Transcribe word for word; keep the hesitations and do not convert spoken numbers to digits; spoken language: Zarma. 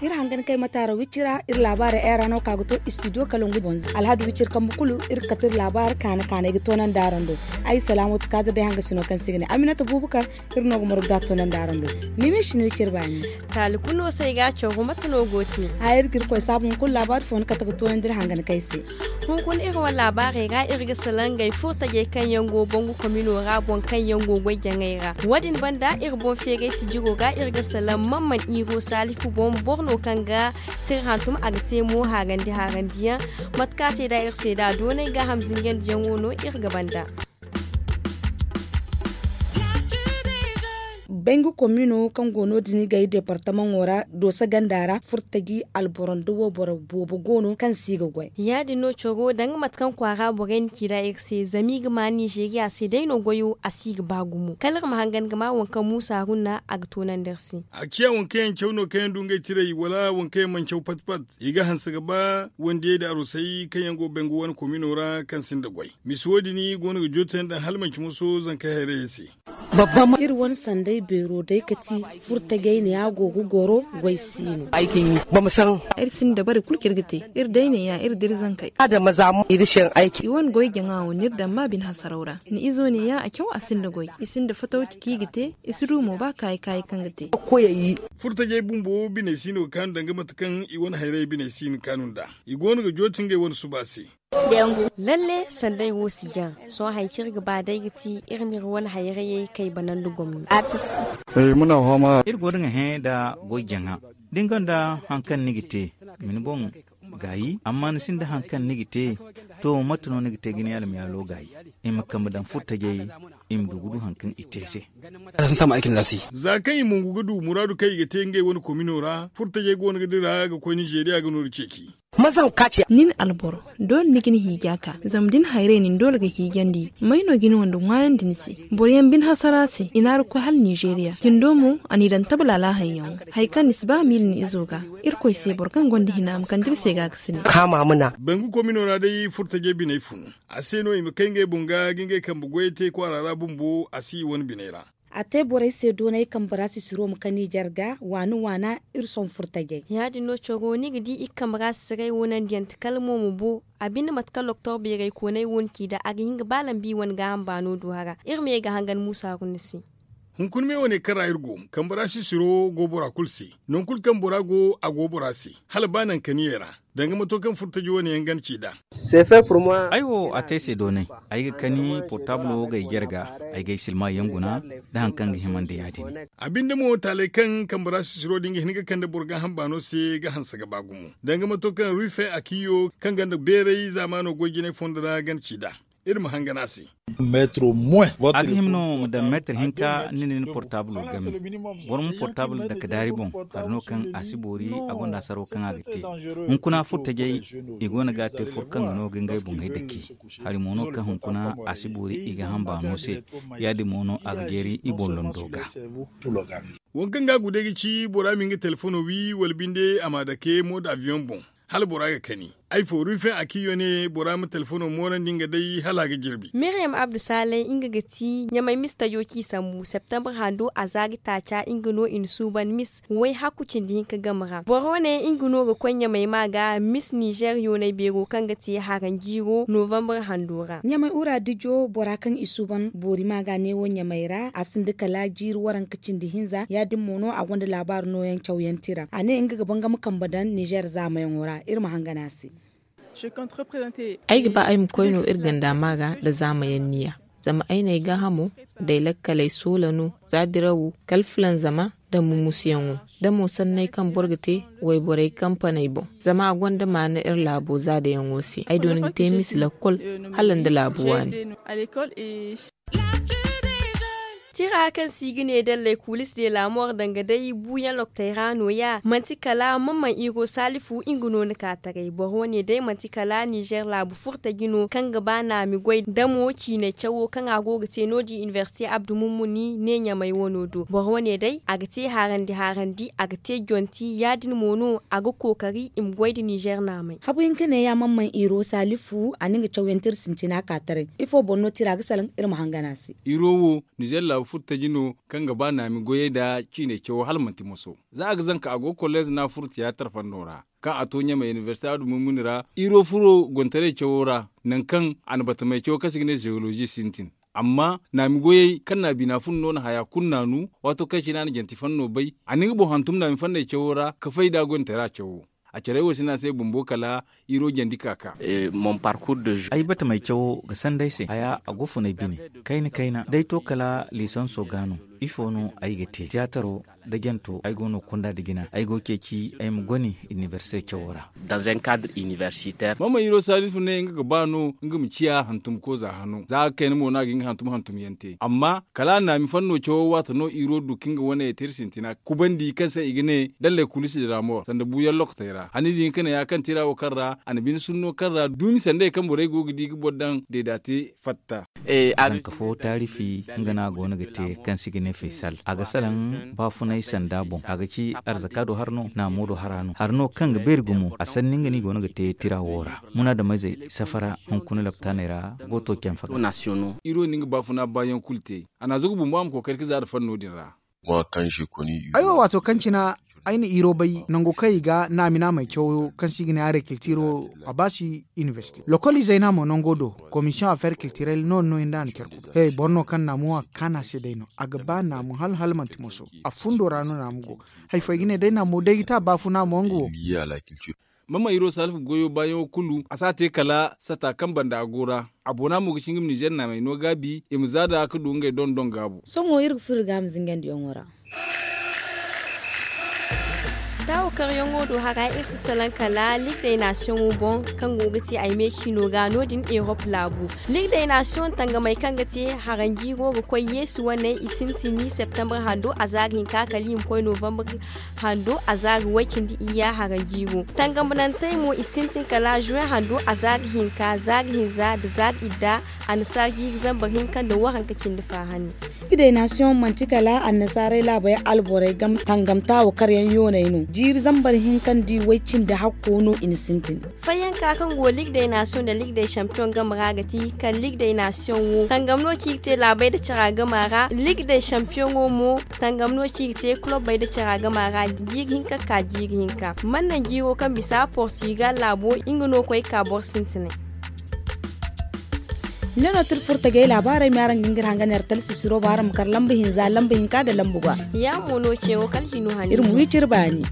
Iri hangan kay mataara wicci ra iri laabaara era no ka ga to istidiyo kalangu bonza alhadu wicci iri kambu kulu iri ga kate iri laabaara kaana kaana ay ga toonandi araŋ do. Ay salaamatu kaadir day hanga sino kaŋ se i ga ne aminata buubu kaŋ iri no ga margu ga a toonandi araŋ do. Mime sino wicci iri baani. Taali kulu no se ay ga a cawru mate no go te? Ay iri ga iri koy saabu hunkuna laabaari fo ni kate ga toonandi iri hangan kay se. Hunkuna iri wane laabaarey ra iri ga salaŋ ngey furtajey kaŋ yaŋ go bangu komino ra boŋ kaŋ yaŋ go goy jaŋay ra. Wo- din banda iri boŋ feeray sijiro ga iri ga salaŋ man man iiro saalifu boŋ boro no kaŋ ga tira hantum a ga te mo haarandi haarandiyaŋ. Mate kaŋ a te nd'a iri se nd'a doonay gaaham zinjandiyaŋo no iri ga banda. Bangu komino kaŋ go no- din i ga ay deepartamaŋo ra doosa ganda ra furtaji alboro nda wayboro boobo go no kaŋ se i ga goy. Ya- din no coro danga mate kaŋ kwaara borey na ci nd'a iri se zama i ga ma nizeeriya se day no goyo a si ga ba gumo kala iri ma hangan ga ma waŋ kaŋ muusa haruna a ga toonandi iri se. A ciya waŋ kaŋ yaŋ caw no kaŋ yaŋ du ngey tiray wala waŋ kaŋ yaŋ mana caw pat pat. I ga hanse ga ba wandiyey nda arosey kaŋ yaŋ go bangu wane komino ra kaŋ sinda goy. Misi wo- din go no ga joote yaŋ daŋ hala manci moso zankey hayrayey se. Iri wane sanday beero day ga ti furtajey ne a go ga goro goy siino. Iri sinda dabari kulu kaŋ iri ga te. Iri day ne ya iri dira zankey. I wane goy jaŋa wo ni iri daŋ ma bine hasaraw ra ni izo ne ya a caw a sinda goy i sinda fatawci kaŋ i ga te. I si du mo ba kaayi kaayi kaŋ ga te. Furtajey bumbo biney si no ga kaanu danga mate kaŋ i wane hayrayey biney si no ga kaanu nd'a. I go no ga joote ngey wane suba se. Lalle sanday wo si jaŋ. Sohõ hari kaŋ iri ga ba day ga ti iri ma iri wane hayrayey kay banandi gomni. Iri go no ga hẽ nda goy jaŋa da ni gonda hari kaŋ ni ga te ma ni boŋ gaayi amma ni sinda hari kaŋ ni ga te. To mate no ni ga te ga ni almiyaalo gaayi? I ma kambe daŋ furtajey i ma du ga du hari kaŋ i te se. Za kaŋ i mongu ga du muraadu kaŋ i ga te ngey wane komino ra furtajey go no ga dira ga koy nizeeriya ga nooru ceeci. Nin alboro doole ni ga ni hiija ka zama da ni hayray nin doole ga hiijandi may no ga ni wande ŋwaayandi ni se? Boro yaŋ bine hasara se i na a ra koy hala nizeeriya cindo mo a n'i daŋ tabla alaahanyaŋo. Hari kaŋ ni si ba a miila ni izo ga irkoy se boro kaŋ gonda hina ma kande iri se ga ga si ne. Bangu komino ra day furtajey biney fun a se no i ma kay ngey boŋ ga ga ngey kambe goyey te kwaara ra bumbo a si i wane biney ra. A te borey se doonay kambe ra sisiro ma ka nizer ga waana waana iri sohõ furtajey. Ya- din no coro ni ga di i kambe ra sisiray wo nandiyaŋ ti kala mo ma bo a binde mate kaŋ loktor beeray koonay wo ni ci nd'a a ga hin ga ba lambi wane gaaham baano du hara. Iri ma ye ga hangan muusa haruna se. Hunkuna me wane kaŋ ra iri go kambe ra sisiro go bora kulu se. Nangu kulu kaŋ bora go a go bora se hala ba naŋ kaniyey ra. Danga mato kaŋ furtaji wane yaŋ gana ci nd'a. Ay wo a te ay se doonay. Ay ga kani portaablo wo ga ay jare ga ay ga ay silmaŋ yaŋ guna nda hari kaŋ ga himandi ya- din. A binde mo taaley kaŋ kambe ra sisiro din ga hin ga kande boro gaaham baano se ga hanse ga ba gumo danga mato kaŋ rufe akiyo kaŋ gonda beeray zaamaano goy jinay fondo ra gana ci nd'a. Iri ma hangan a se. A ga hima no ma daŋ meetar hinka ni na ni portaablo game. Boro ma portaablo dake daari boŋ hari no kaŋ a si boori. A gonda asaro kaŋ a ga te hunkuna furtajey i go no ga a te foro kaŋ ga no ga ngey boŋey dake. Hari mo no kaŋ hunkuna a si boori i ga hamba no se. Ya- din mo no a ga jeeri i boŋ londo ga. Waŋ kaŋ ga a gude ga ci bora ma nga telefono wi wala binde a ma dake moda aviyoŋ boŋ. Hala bora ga kani ay fo rufen a kiyo ne bora ma telefono moorandi nga day hala a ga jirbi. Miriyam abdu saalay nga ga ti ɲamay mis tajo ci sambu septembre hando a za ga taaca nga no i na suuban mis way hakku cindi hinka game ra boro ne nga no ga koy ɲamay ma ga mis nizer yoonay beero kaŋ ga ti haranjiiro novembre hando ra. Ɲamay ura dijo bora kaŋ i suuban boori ma ga neewo ɲamay ra a sinda kala jiiri waranka cindi hinza ya- din mo no a gonda laabaari nooyaŋ cawyaŋ tira a ne nga ga bangam kambe daŋ nizer zaamayaŋo ra. Iri ma hangan a se. Ay ga ba ay ma koy no iri ganda ma ga nda zaamayaŋ niya. Zama ay n'ay gaahamo nda ay lakkaley soola no za dirawo kala filanzama nda mumusuyaŋo da mo sanney kaŋ boro ga te wayborey kampaney boŋ. Zama a gonda maana iri laabo zaadayaŋo se ay doona ga te misi lakkol hala nda laabu waani. Tira kaŋ se i ga ne dallay kuulis de laamor danga day buuyaŋ lokotey ra nooya manti kala mamman iro saalifu nga no ni ka taray boro wane day manti kala ninzeer laabu furtaji no kaŋ ga ba naami goy damo ciinay cawo kaŋ a go ga te no- din inibersite abdu mummuni ne ɲamay wano do boro wane day a ga te harandi harandi a ga te jonti ya- din mo no a ga kookari i ma goy nda ninzeer naamay. Habu hinka ne ya mamman iro saalifu a na nga cawyaŋ tira sintina ka taray. Ifo boŋ no tira ga salaŋ iri ma hangan a se? Iro wo ninzeer laabu furtaji no kaŋ ga ba naami goyey nda ciinay cawo hala manti moso. Za a ga zanka a go ga kolleez no a furo tiyaatar fando ra kaŋ a to ɲamay inibersite abdu mummuni ra iro furo gontaray cawo ra, nangu kaŋ a na batamey cawo kaŋ se i ga ne zewolozi sintin. Amma naami goyey kaŋ na a bina fun no na haya kulu naanu. Waato kaŋ cine a na janti fanno bay a na nga boŋ hantum naami fanney cawo ra ka fay nd'a goyantey ra cawo. A carey wo si ne a se bumbo kala iro jandi ka ka. Ay batamey cawo ga sanda ay se haya a go fun ay bine. Kayna kayna day to kala liisanso ga no ifo no ay ga te tiyaataro nda janto ay go no kunda nda jina ay go ga ceeci ay ma goni inibersite cawo ra. Mama iro saalifu ne nga ga ba no nga ma ciya hantum kooza hano za a ga kayna mo no a ga hin ga hantum hantum yaŋ te amma kala a naami fanno cawo waati no iro du kaŋ ga wane ya te iri sintina kubandi kaŋ se i ga ne dallay kuulisi de la mor sanda buuyaŋ lokotey ra haniize hinka ne ya kaŋ tira wo kaŋ ra a na bine sunno kaŋ ra duumi sandey kaŋ borey go ga di ga boro daŋ deeda te fatta. Zanka fo taarifi nga no a go no ga te kaŋ se i ga ne faysal a ga salaŋ baafunay sanda boŋ a ga ci arzaka do hara no naamo do hara no hara no kaŋ ga beeri gumo a sanni nga no i go no ga te tira wo ra munaadameyzey safara hunkuna laptaaney ra go to canfa ga. Iro na nga baafuna baayaŋ kulu te a na a zagu bumbo a ma kookari ga za nda fanno din ra. Ay wo waato kaŋ cine ay na iro bay nango kaŋ i ga naami naamey cawo kaŋ se i ga ne agriculture wo a ba si université lokol izey no a mo nango do. Commission affaire culturelle no- din no i nda a na care kulu he boro no kaŋ naamo a ga kaanu a se day no a ga ba naamo hala hala manti moso. A fundo ra no naamo go hari fo ay ga ne day naamo day ga te a baafuna mo nga wo. Mama iro salifu goyo baayaŋo kulu a si a te kala sata kaŋ banda a go ra. A boona mo ga ci nga ma nizer naamey no gaabi i ma za nd'a ga du ngey dondon gaabu. Sohõ iri ga furo iri ga a ma zingandiyaŋo ra. Taawo karyaŋo do hara iri si salaŋ kala ligue des nations boŋ kaŋ go ga te ay me ciino ga no- din erop laabu. Ligue des nations tangamey kaŋ ga te haranjiiro ga koy yeesu wane i sintin ni septembre hando a za ga hinka kala i ma koy novembre hando a za ga way-cindi iyya haranjiiro tangamnantey mo i sintin kala juin hando a za ga hinka za ga hinza nda za ga idda. Annasaara jiiri zambar hinka nda waranka cindi faahani. Ligue des nations manti kala annasaarey laabey alborey game tangam taawo karyaŋ yooney no jiiri zambar hinka nda i way-cindi hakko no i na sintin. Fayyanka kaŋ go ligue des nations nda ligue des champions game ra ga ti kala ligue des nations wo tangam no ci ga te laabey nda cara game ra ligue des champions wo mo tangam no ci ga te kulobbey nda cara game ra jiiri hinka ga ka jiiri hinka mana naŋ jiiro kaŋ bisa portugal laabo nga no koy ga ka boro sintinay. Ni no tira furtagey laabaarey me araŋ ga hin ga iri hangan iri talsisiro ba araŋ ma kar lamba hinza lamba hinka nda lamba ga. Ya mo no ceewo kala hino hanni iri ma wi cire baani.